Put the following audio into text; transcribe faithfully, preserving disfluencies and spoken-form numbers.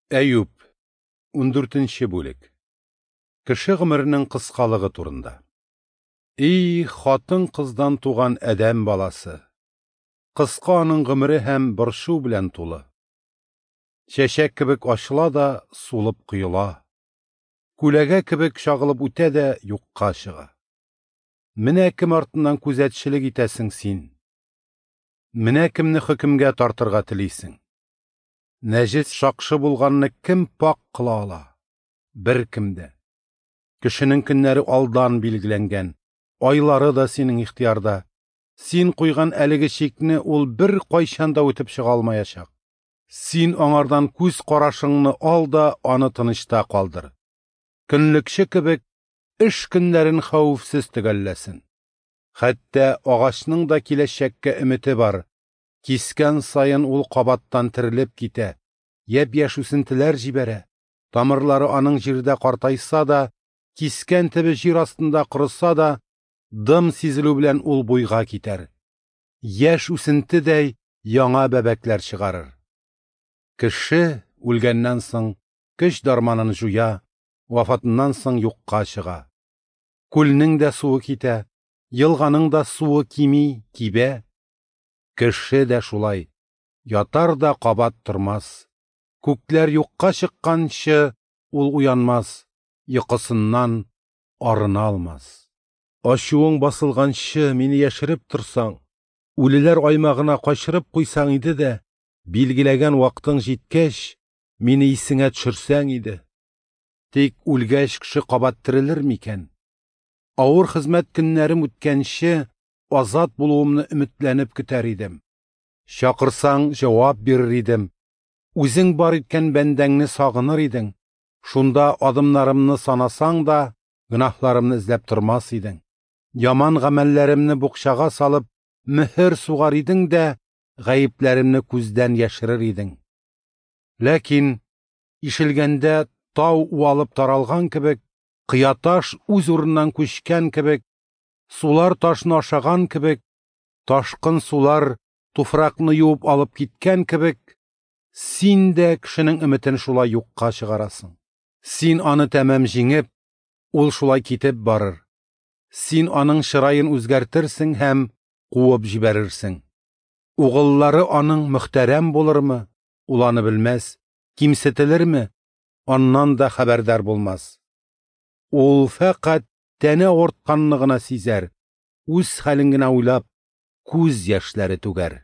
Әюп, ундүртенче бүлек. Кеше гомеренең кыскалыгы турында. И хатын-кыздан туган адәм баласы! Кыска аның гомере һәм борчу белән тулы. Чәчәк кебек ачыла да сулып коела. Күләгә кебек чагылып үтә дә юкка чыга. Менә кем артыннан күзәтчелек итәсең син. Менә кемне хөкемгә тартырга телисең. Нәҗес шакшы булганны кем пак кыла ала? Бер кем дә. Кешенең көннәре алдан билгеләнгән, айлары да синең ихтыярда. Син куйган әлеге чикне ул бер кайчан да үтеп чыга алмаячак. Син аңардан күз карашыңны ал да аны тынычта калдыр. Көнлекче кебек эш көннәрен хәвефсез төгәлләсен. Хәтта агачның да киләчәккә өмете бар. Кискән саен ул кабаттан терелеп китә, япь-яшь үсентеләр җибәрә. Тамырлары аның җирдә картайса да, кискән төбе җир астында корыса да, дым сизелү белән ул буйга китәр. Яшь үсентедәй яңа бәбәкләр чыгарыр. Кеше үлгәннән соң көч дарманын җуя, вафатыннан соң юкка чыга. Күлнең дә суы китә, елганың да суы кими, кибә. Кеше дә шулай, ятар да кабат тормас. Күкләр юкка чыкканчы ул уянмас, йокысыннан арына алмас. Ачуың басылганчы мине яшереп торсаң, үлеләр аймагына качырып куйсаң иде дә, билгеләгән вакытың җиткәч, мине исеңә төшерсәң иде. Тик үлгәч кеше кабат терелер микән? Авыр хезмәт көннәрем үткәнче, азат булуымны өметләнеп көтәр идем. Чакырсаң, җавап бирер идем. Үзең бар иткән бәндәңне сагыныр идең. Шунда адымнарымны санасаң да, гөнаһларымны эзләп тормас идең. Яман гамәлләремне букчага салып, мөһер сугар идең дә, гаепләремне күздән яшерер идең. Ләкин ишелгәндә тау уалып таралган кебек, кыяташ үз урыннан күчкән кебек, сулар ташны ашаган кебек, ташкын сулар туфракны юып алып киткән кебек, син дә кешенең өметен шулай юкка чыгарасың. Син аны тәмам җиңеп, ул шулай китеп барыр. Син аның чыраен үзгәртерсең һәм куып җибәрерсең. Угыллары аның мөхтәрәм булырмы, ул аны белмәс, кимсетелерме, аннан да хәбәрдар булмас. Ул фәкать тәне авыртканны гына сизәр, үз хәлен генә уйлап, күз яшьләре түгәр.